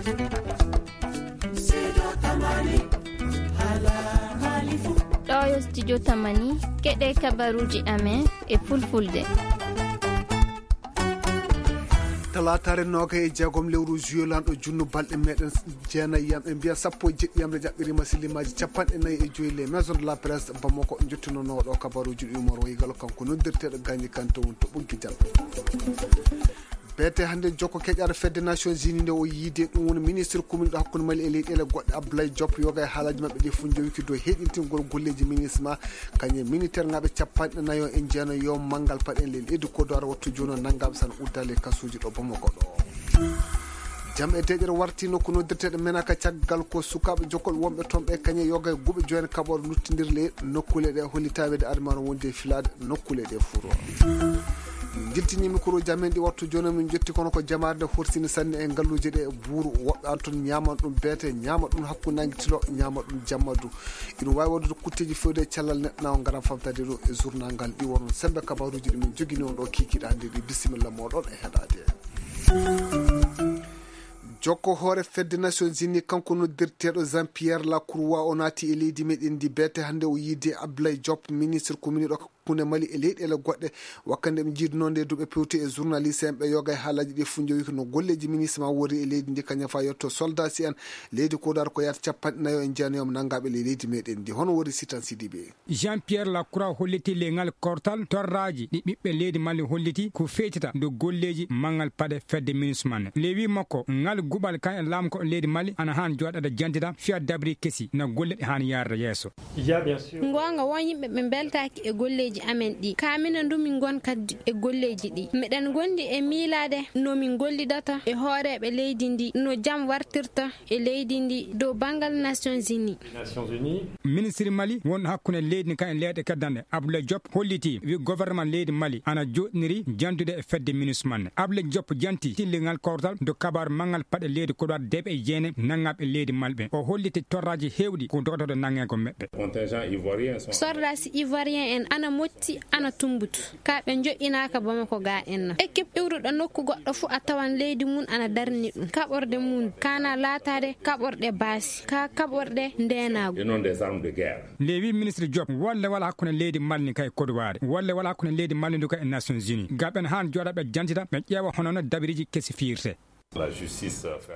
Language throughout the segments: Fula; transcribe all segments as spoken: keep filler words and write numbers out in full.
Ɗo yo studio Tamani, keɗe kabaruuji amen e fulfulde. Talaataare noogay e jeegom lewru juillet, lanɗo junnu balɗe meɗen jeenayi yam, e mbiya sappo e jeɗɗi yam, nde jaɓɓirima sillimaaji capanɗe nayi e joyi les maisons de la presse Bamako, jottinonooɗo kabaruuji ɗi Umar Waygal, kanko noddirteeɗo Gagny Kanté woni to ɓoggi jam. Beete hannde jokko keƴaare fedde Nations Unies nde o yiide ɗum woni ministre commune ɗo hakkunde Mali e leyɗeele goɗɗe Abdoulaye Diop yoga e haalaaji maɓɓe ɗi fof jowiki dow heɗintingol golleeji minisma kañum e militaire ŋaaɓe capanɗe nayo e jeenayo manngal paɗe en le leydi Côte d'Ivoire wattu jooni o nanngaama sana uddaali e kasuuji ɗo Bamako ɗo. Jam e deeƴere warti nokku noddirteeɗo Menaka caggal ko sukaaɓe jokkol wonɓe toon ɓe kañum e yoga e guuɓe jooni kaɓoore luttindirle nokkuule ɗe hollitaɓe de adamano wonde e filaade nokkuule ɗe furo. Jiltini mikroji amen ɗi wattu jooni min jotti kono ko jamaare nde horsini sanne e ngalluuje ɗe buuru woɓɓe an toon ñaaman ɗum beete ñaama ɗum hakkunde nangi tilo ñaama ɗum jamma du. Ina waawi waɗude kutteeji fewde e cellal neɗɗo na o ngaran famtade ɗo e journal ngal ɗi wonon sembe kabaruuji ɗi min jogini on ɗo kiikiiɗe hannde ɗi bisimilla moɗon e heɗaade. Jokko hoore fedde Nations Unies kanko noddirteeɗo Jean Pierre Lacroix o naati e leydi meɗen ndi beete hannde o yiide Abdoulaye Diop ministre commune ɗo hakkunde Mali e leyɗeele goɗɗe. Wakkande ɓe jiiduno nde duɓe pewti e journaliste en ɓe yoga e haalaji ɗi fof jowi no golleeji ministre ma wori e leydi ndi kañum fa yetto soldat si en leydi Côte d'Ivoire ko yata capanɗe nayo e jeenayo nangaɓe le leydi meɗen ndi hono wori Sitan Sidibe. Jean Pierre Lacroix holliti leŋal kortal torraaji ɗi ɓiɓɓe leydi Mali holliti ko feytata dow golleeji manngal paɗe fedde minusma ne. Lewi makko ngal guɓal kan e laamko leydi Mali ana haan jooɗaade jantita fiya dabri kesi no golle ɗe haan yaarde yeeso. Ngoonga won yimɓe ɓe mbeltaaki e golleeji amen ɗi ka minen ndu min ngon kaddi e golleeji ɗi meɗen ngondi e miilaade no min gollidata e hooreeɓe leydi ndi no jam wartirta e leydi ndi dow banngal Nations Unies. Ministre Mali wonɗo hakkunde leydi ndi kan e leyɗe keddanɗe Abdoulaye Diop holliti wi gouvernement leydi Mali ana joɗniri jantude e fedde minusma ne. Abdoulaye Diop janti tillingal kawtal do kabaru manngal paɗe leydi Côte d'Ivoire deeɓe e jeene nanngaɓe leydi Mali ɓe o holliti torraji hewɗi ko dogotoɗo nannge ko meɓɓe. Soldats ivoiriens en ana motti ana tumbutu ka ɓe joɗɗinaaka Bamako ga en na équipe iwruɗo nokku goɗɗo fu a tawan leydi mum ana darni ɗum kaɓorde mum kana laataade kaɓorɗe baasi ka kaɓorɗe ndeenaagu. Lewi ministre Diop wolle wala hakkunde leydi Mali ndi kay Côte d'Ivoire wolle wala hakkunde leydi Mali ndi kay e Nations Unies gaɓen haan jooɗa ɓe jantita ɓe ƴeewa hono no dabiriji kesi fiirte.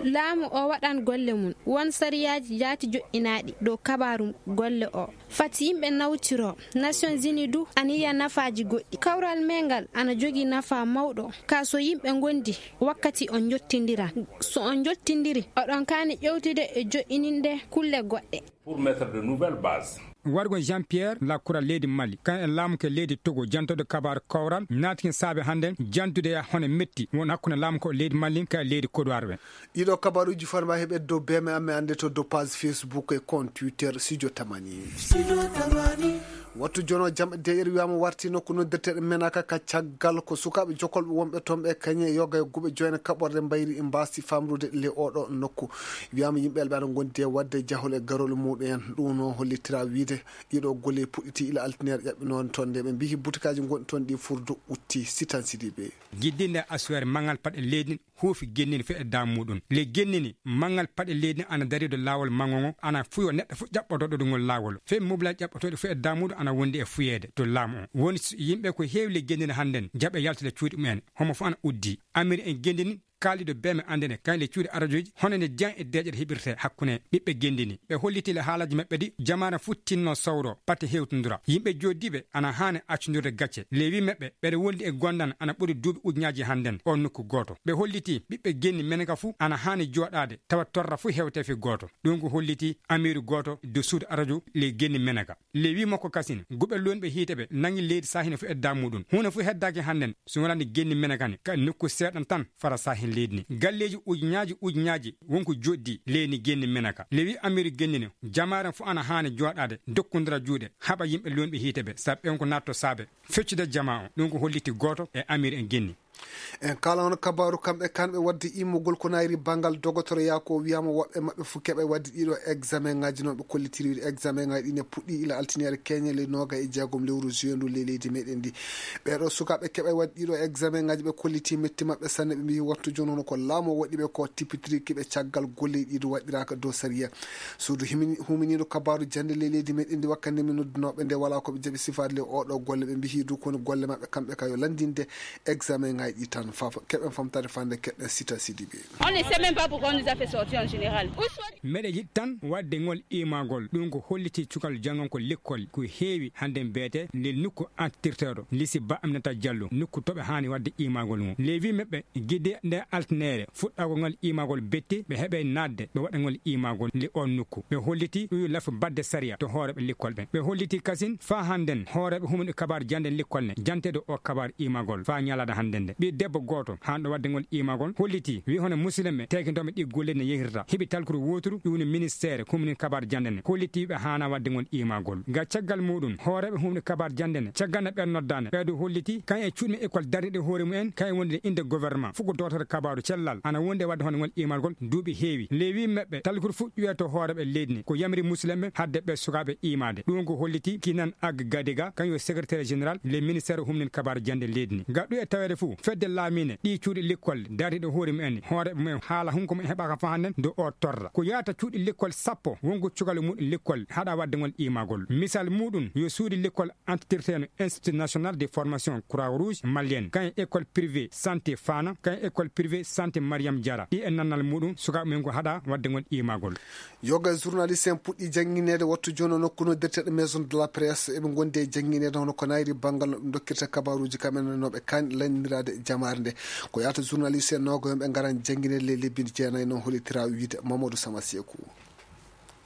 Laamu o waɗan golle mum won sariyaaji jaati joɗɗinaaɗi dow kabaru golle o fati yimɓe nawtiro. Nations Unies du ana yiya nafaaji goɗɗi kawral mengal ana jogii nafaa mawɗo ka so yimɓe ngondi wakkati on jottindira so on jottindiri oɗon kaani ƴewtude e joɗɗininde kulle goɗɗe. Pour mettre de nouvelles bases. Wargo Jean Pierre Lacroix leydi Mali kan e laamu ke leydi Togo jantoɗo kabaru kawral naatiki saabe hannden jantude e hono metti won hakkunde laamu ko leydi Mali ka leydi Côte d'Ivoire ɓe. Ɗiɗo kabaruuji farma heɓe dow beme amme annde to dow page Facebook e compte Twitter Studio Tamani. Wattu jono jam deƴere wiyama warti nokku noddirteɗo menaka ka caggal ko sukaɓe jokolɓe wonɓe toon ɓe kañe yoga e guɓe joyna kaɓorde mbayri mbasti famrude le oɗo nokku. Wiyama yimɓe ɓe aɗa gondi e wadde jahol e garol muɗum en ɗum no hollitira wiide ɗiɗo golle puɗɗiti ila altinere ƴaɓɓinoon toon nde ɓe mbihi butikaji gonɗi toon ɗi furdo utti Sitan Sidibe. Jiddinde asuwere mangal paɗe leydi huufi gennini feɗe dam muɗum le gennini mangal paɗe leydi ana dari do laawol mango ngo ana fuyo neɗɗo fof ƴaɓɓotoɗo ɗum ngol laawol fe mobla ƴaɓɓotoɗo feɗe dam muɗum ana wondi e fuyeede to laamu o woni yimɓe ko heewi le gennini hannden jaɓe yaltude cuuɗi mumen homo fof ana uddi amiri en gennini kaalɗiɗo beme anndene kañle cuuɗi arajoji hono ne diyan e deeƴere heɓirte hakkunde ɓiɓɓe genndiini ɓe holliti le haalaji maɓɓe ɗi jamaare futtinno sawro pate hewtondira yimɓe joddiiɓe ana haani accondirde gacce lewi maɓɓe ɓeɗe wondi e gondan ana ɓuri duuɓi ujunnaaji hannden o nokku gooto ɓe holliti ɓiɓɓe genni meneka fuu ana haani jooɗaade tawa torra fuu hewte fi gooto ɗum ko holliti amiiru gooto de suudu arajo le genni meneka le wi makko kasin guɓe lonɓe hiite ɓe nangi leydi sahine fu edda muɗum huunde fu heddaaki hannden so wonani genni menekani ka nokku seeɗan tan fara sahin leydi ni galleeji ujunnaaji ujunnaaji wonko joɗdi leydi genni meneka le wi amiiru genni ni jamaaren fu ana haani jooɗaade dokkondira juuɗe haɓa yimɓe lonɓe hiite ɓe sabu ɓen ko natto saabe feccude jama o ɗum ko holliti gooto e amiiru en genni En kala on kabaaru kamɓe kanɓe wadde immugol ko nayri banngal dogotoroya ko wiyama woɓɓe maɓɓe fof keɓa wadde ɗiɗo examen ngaji noon ɓe kollitiri wiide examen ngaji ɗi ne puɗɗi ila altiniere keñe ley noga e jeegom lewru juin ndu ley leydi meɗen ndi. Ɓeɗo sukaɓe keɓa wadde ɗiɗo examen ngaji ɓe kolliti metti maɓɓe sanne ɓe mbi wattu jooni hono ko laamu waɗi ɓe ko tippitiri kiɓe caggal golle ɗiɗo waɗɗiraka dow sariya. Suudu huminiiɗo kabaaru jannde ley leydi meɗen ndi wakkande min noddunoɓe nde wala ko ɓe jaɓi sifaade le oɗo golle ɓe mbihi du koni golle maɓɓe kamɓe ka yo lanndinde examen ngaji ɗi tan. Keɓen famtade fande keɓen sita sidiɓe. On ne sait même pas pourquoi on nous a fait sortir en général. Meɗe yiɗi tan waɗde ngol imagol ɗum ko holliti cukal janngan ko lekkol ko heewi hannde mbiyete nde nokku antirteeɗo lisi ba aminata jallo nokku to ɓe haani waɗde imagol mum lewi meɓɓe gide nde altinere fuɗɗagol ngal imagol betti ɓe heɓe naatde ɓe waɗa ngol imagol nde on nokku ɓe holliti ɗuyu lafu baɗde sariya to hooreɓe lekkol ɓe ɓe holliti kasin faa hannden hooreɓe humni kabar jannde lekkol ne janteede o kabar imagol faa ñalada hannden nde ɓi debbo gooto hanɗo waɗde ngol imagol holliti wi hono musidɓe tekintoɓe ɗi golle ne yehirta heɓi talkuru woturu ɗum ne ministére humni kabar jannde ne holliti ɓe haana waɗde ngol imagol ga caggal muɗum hooreɓe humni kabar jannde ne caggal no ɓen noddane ɓeeɗo holliti kan e cuuɗi men école darniɗe hoore mumen kan e wondude inde gouvernement fuko dotata kabaru cellal ana wondi e wadde hono ngol imalgol duuɓi heewi lewi meɓɓe talkuru fuɗɗuye to hooreɓe leydi ni ko yamri musidɓe hadde ɓe sukaɓe imade ɗum ko holliti kinan ag gadiga kan yo secrétaire général le ministére humnin kabaru jannde leydi ni gaɗɗu e taweede fuu fedde laamine ɗi cuuɗi lekkol darniɗe hoore mumen hooreɓe mumen haala hunko mumen heɓaka fa hannden do o torra ko yahata cuuɗi lekkol sappo wonko cukalu muɗum lekkol haɗa waddegol imagol misal muɗum yo suuɗi lekkol antitirteno institut national de formation croix rouge malienne kan école privée santé fana kan école privée santé mariam diara ɗi e nannal muɗum sukaɓe mumen ko haɗa waddegol imagol. Yoga journaliste en puɗɗi janngineede wattu jooni o nokku noddirteeɗo maison de la presse eɓe ngondi e janngineede hono ko nayri banngal no ɓe dokkirta kabaruuji kamɓe no ɓe kaani lanniraade jamaare nde ko yahata journaliste en noogo yomɓe ngaran janngineede ley lebbi jeenayi noon holitira wiide mamadou samaseku.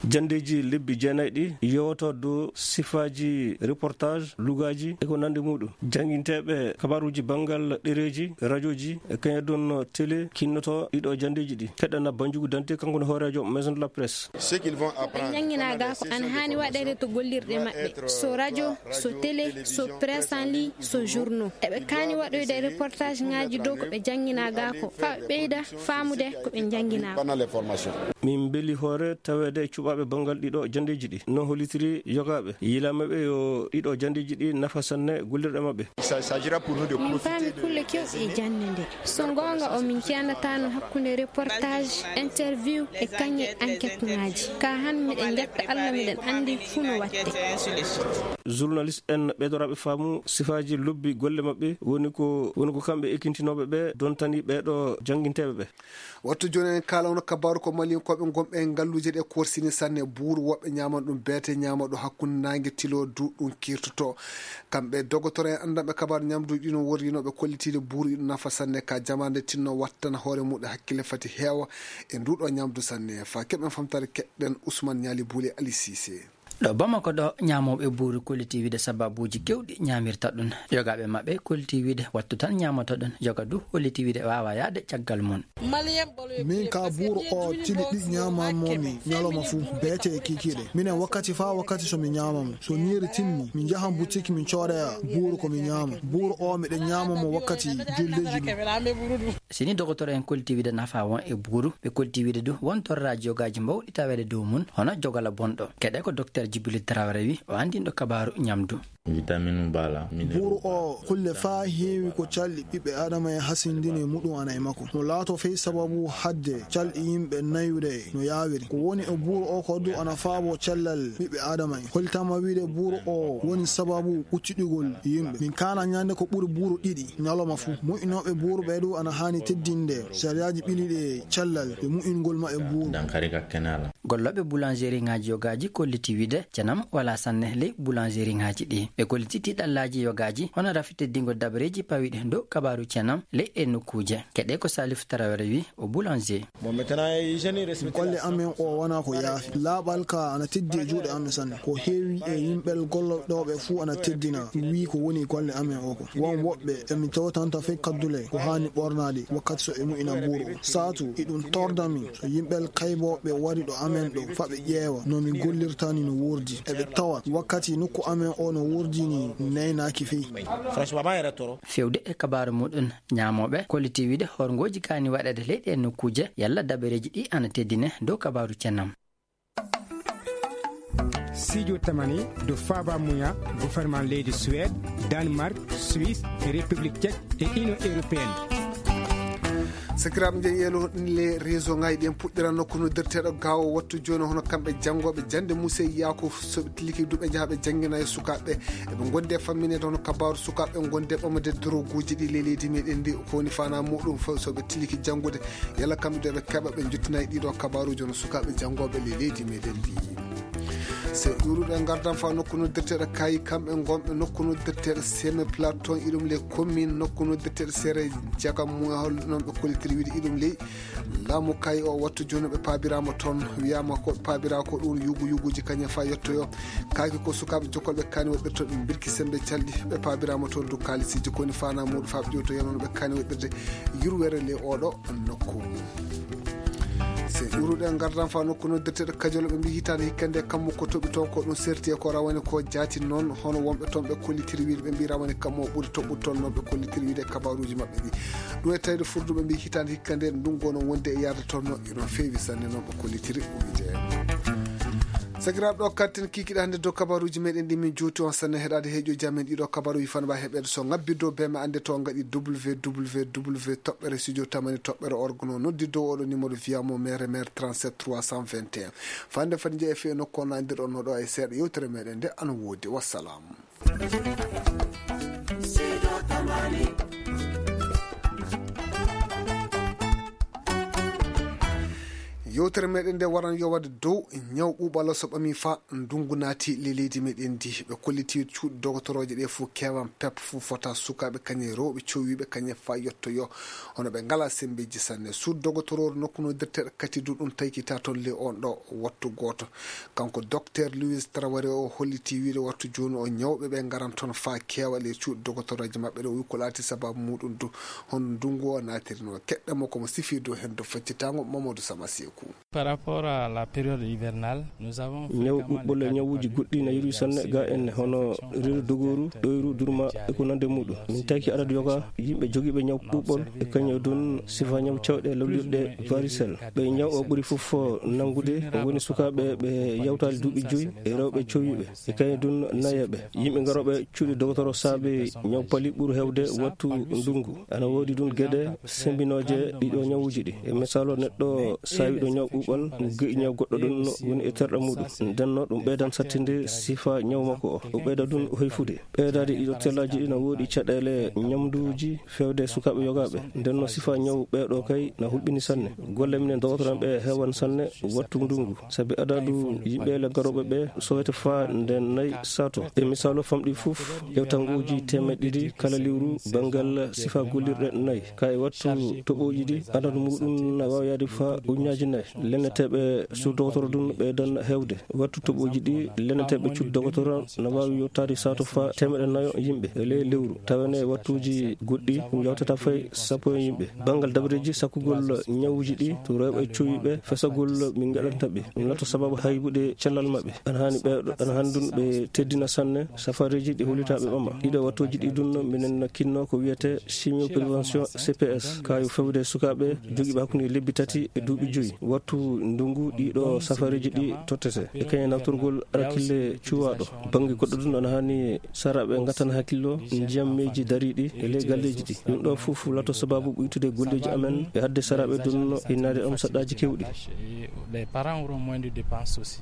Janndeeji lebbi jeenayi ɗi yewto dow sifaaji reportage lugaaji e ko nanndi muɗum jannginteeɓe kabaruuji banngal ɗereeji radioji e kañadun télé kinnoto ɗiɗo janndeeji ɗi keɗana banjugu dante kanko no hooreejo maison de la presse. Ɓe njannginaa gaa ko ana haani waɗeede to gollirɗe maɓɓe so radio so télé so presse en ligne so journaux eɓe kaani waɗoyde reportage ngaji dow ko ɓe njannginaa gaa ko faa ɓe ɓeyda faamude ko ɓe njannginaa ko. Min mbeli hoore taweede e cuɓaaɓe banngal ɗiɗo janndeeji ɗi no hollitiri yogaaɓe yilaama ɓe yo ɗiɗo janndeeji ɗi nafa sanne gollirɗe maɓɓe. Min paami kulle kewɗe e jannde nde so ngoonga o min ceyanataano hakkunde reportage interview e kañe enquête ngaji ka han miɗen njetta allah miɗen anndi fuu no watte. Journaliste en ɓeydoraaɓe faamu sifaaji lobbi golle maɓɓe woni ko woni ko kamɓe ekintinooɓe ɓe dontani ɓeeɗo jannginteeɓe ɓe. Wattu jooni en kaalawno kabaaru ko malinkooɓe ngonɓe e ngalluuje ɗe korsini sanne buuru woɓɓe ñaaman ɗum beete ñaama ɗo hakkunde naange tilo du ɗum kirtoto. Kamɓe dogotoro en anndanɓe kabaaru ñamduuji ɗino worrinooɓe kollitiiɗe buuru iɗo nafa sanne ka jamaande tinno wattana hoore muɗum hakkille fati heewa e nduɗo ñamdu sanne fa keɓen famtare keɗɗen ousmane ñaali buule ali sise. Ɗo bamako ɗo ñaamooɓe buuru kolliti wiide sababuuji kewɗi ñaamirta ɗum yogaaɓe maɓɓe kolliti wiide wattu tan ñaamoto ɗum yoga du holliti wiide waawa yahde caggal mum. Min ka buuru o tili ɗi ñaamammomi ñalawma fuu beete e kikiiɗe minen wakkati faa wakkati so mi ñaama mo so ñiiri timmi mi njahan butik min coodoya buuru ko mi ñaama buuru o miɗo ñaama mo wakkati juldeeji ɗum. Sini dogotoro en kolliti wiide nafa won e buuru ɓe kolliti wiide du won torraaji yogaaji mbawɗi taweede dow mum hono jogala bonɗo keɗe ko docteur djibril traoré wi o anndinɗo kabaaru ñamdu. Buuru o kulle faa heewi ko calɗi ɓiɓɓe aadama e hasindini muɗum ana e makko mo laato fey sababu hadde calɗi yimɓe nayude no yaawiri ko woni e buuru o ko du ana faabo cellal ɓiɓɓe aadama en holtama wiide buuru o woni sababu ɓuttiɗugol yimɓe min kaana ñande ko ɓuri buuru ɗiɗi ñalawma fuu moƴƴinooɓe buuru ɓe du ana haani teddinde sariyaaji ɓiliɗe cellal e mu'ingol maɓɓe buuru. Gollooɓe boulangerie ŋaaji yogaaji kolliti wiide cenam wala sanne ley boulangerie ŋaaji ɗi ɓe kolliti tiiɗallaaji yogaaji hono rafi teddingol dabareeji pawiiɗe dow kabaaru cenam ley ɗe nokkuuje keɗe ko salif tarawere wi o boulanger. Golle amen o wona ko yaafi laaɓal ka ana teddi e juuɗe amen sanne ko heewi e yimɓel gollotooɓe fuu ana teddina wi ko woni golle amen o ko won woɓɓe emi tewtanta fey kaddule ko haani ɓornaade wakkati so e mu'ina buuru o saatu iɗum torda min so yimɓel kaybooɓe wari ɗo amen ɗo fa ɓe ƴeewa no min gollirtani no Wurdi. Eɓe tawa wakkati nokku amen o no wurdini naynaaki fey. Franchement, ma yere toro. Fewde e kabaaru muɗum, ñaamooɓe kolliti wiide horngooji kaani waɗeede leyɗe e nokkuuje, yalla dabareeji ɗi ana teddine dow kabaaru cennam. Sijo tamani do faaba muya gouvernement leydi Suède, Danemark, Suisse, e République Tchèque e Union Européenne. Sakiraaɓe, njeyen yeelo ɗin le réseau ngaji ɗin puɗɗira nokku noddirteeɗo Gaawo wattu jooni, hono kamɓe janngooɓe jannde Musee Yaakuuf, so ɓe tiliki duɓe njaha ɓe janngina e sukaaɓe. Eɓe ngondi e fammineede hono kabaaru sukaaɓe ngondi e ɓamde droguuji ɗi le leydi meɗen ndi, ko woni faanaa muɗum fof so ɓe tiliki janngude, yalla kamɓe du eɓe keɓa ɓe njottina e ɗiɗo kabaaruuji hono sukaaɓe janngooɓe le leydi meɗen ndi. Se ƴuuruɗo e ngardan fa nokku noddirteeɗo Kaayi, kamɓe ngonɓe nokku noddirteeɗo Semi Platon, iɗum le commune nokku noddirteeɗo Sere Jaka Muya, hol non ɓe kollitiri wiide iɗum ley laamu Kaayi o wattu jooni ɓe paabiraama toon, wiyaama ko ɓe paabira ko ɗum yugu yuguji kañum fa yettoyo. Kaaki ko sukaaɓe jokkolɓe kaani waɗɓe toon ɓe mbirki sembe calɗi, ɓe paabiraama toon du kaalisiiji ko woni faanaa muɗum fa ɓe ƴewto yanono ɓe kaani waɗɓirde yurwere le oɗo nokku. Se ƴuuruɗo e ngardan fa nokku noddirteeɗo Kajolo, ɓe mbi hitaande hikka nde kammu ko toɓi toon ko ɗum serti e ko rawane ko jaati noon, hono wonɓe toon ɓe kollitiri wiide ɓe mbi rawane kammu o ɓuri toɓɓude toon noon ɓe kollitiri wiide e kabaaruuji maɓɓe ɗi. Ɗum e tawde furduɓe mbi hitaande hikka nde ndungu o no wondi e yaade toon no, ino feewi sanne noon ɓe kollitiri wiide. Sakiraaɓe, ɗo katten kikiɗe hannde dow kabaaruuji meɗen ɗi min juuti on sanne heɗaade heeƴooji amen ɗiɗo kabaaruuji fana mba heɓeede so ngabbi dow bee ma annde to ngaɗi www toɓɓere studio tamani toɓɓere org no noddi dow oɗo numéro via mo mere mere trente-sept trois cent vingt et un. Fande fadi jeeya fii e nokku on anndirɗon no ɗo e seeɗa yewtere meɗen nde ana woodi. Wassalam. Yewtere meɗen nde waran yowade dow ñaw ɓuuɓal so ɓami fa ndungu naati le leydi meɗen ndi. Ɓe kolliti cuuɗi dogotorooje ɗe fof kewan pep fof fota sukaaɓe kañe rewɓe cowiiɓe kañe fa yettoyo. Hono ɓe ngala sembeji sanne. Suudu dogotoroore nokku no dirteeɗo kati du ɗum taykita toon le on ɗo wattu gooto. Kanko Docteur Louis Traoré o holliti wiide wattu jooni o ñawɓe ɓe ngaran toon fa keewa le cuuɗi dogotorooje maɓɓe ɗo wi ko laati sababu muɗum du hono ndungu o naatirno. Keɗɗa mo komo sifi dow hen dow faccitango Mamadou Sama Seeku. Par rapport à la période hivernale, nous avons ñaw fréquemment ɓuɓɓol e les cas ñawuuji goɗɗi na yeru sanne ga en hono reedu dogooru, ɗoyru, durma e ko nande muɗum. Min taki adadu yoga yimɓe jogiiɓe ñaw ɓuɓɓol e kañum dun sifa ñaw cawɗe lawlirɗe varicelle. Ɓe ñaw o ɓuri fof nanngude woni sukaaɓe ɓe yawtaali duuɓi joyi e rewɓe cowiiɓe e kañum dun nayeeɓe. Yimɓe garooɓe cuuɗi dogotoro saabe ñaw pali ɓuri heewde wattu ndungu. Ana woodi dun geɗe sembinooje ɗiɗo ñawuuji ɗi. E misaalo, neɗɗo saawiiɗo ñaw ɓuuɓal, ge'i ñaw goɗɗo ɗun woni e terɗe muɗum. Nden no ɗum ɓeydan sattinde sifa ñaw makko o. O ɓeyda dun hoyfude. Ɓeydaade ɗiɗo tellaaji ɗi na woodi caɗeele ñamduuji feewde sukaaɓe yogaaɓe. Nden no sifa ñaw ɓeeɗo kay na hulɓini sanne. Golle minen dogotoro en ɓe heewan sanne wattu ndungu. Sabi adadu yimɓe le garooɓe ɓe sowete faa nden nayi sato. E misaalo famɗi fof, hewtanguuji teemeɗɗe ɗiɗi kala lewru banngal sifa gollirɗe nayi. Ka e wattu toɓooji ɗi, adadu muɗum na waawi yaade faa ujunnaaji nayi. Lenneteeɓe suudu dogotoro dun ɓeydan heewde. Wattu toɓooji ɗi, lenneteeɓe cuuɗi dogotoro na waawi yottaade sato faa teemeɗɗe nayo yimɓe e ley lewru. Tawa ne wattuuji goɗɗi ɗum yawtata fay sappo e yimɓe. Banngal dabareeji sakkugol ñawuuji ɗi to rewɓe cowiiɓe fesagol min ngaɗanta ɓe. Ɗum lato sababu haybude cellal maɓɓe. Ana haani ɓe, ana haani dun ɓe teddina sanne safareeji ɗi hollita ɓe ɓama. Ɗiɗo wattuuji ɗi dun minen kinno ko wiyete chimio prévention C P S. Ka yo fewde sukaaɓe jogiiɓe hakkunde lebbi tati e duuɓi joyi. Wattu ndungu ɗiɗo safareeji ɗi tottete. E kañum naftorgol arakille cuwaaɗo. Bannge goɗɗo dun ana haani saraaɓe ngattan hakkillo ndiyam meeji dariiɗi e ley galleeji ɗi. Ɗum ɗo fof lato sababu ɓuytude golleeji amen e hadde saraaɓe dun hinnaade am saɗɗaaji kewɗi. Les parents auront moins de dépenses aussi.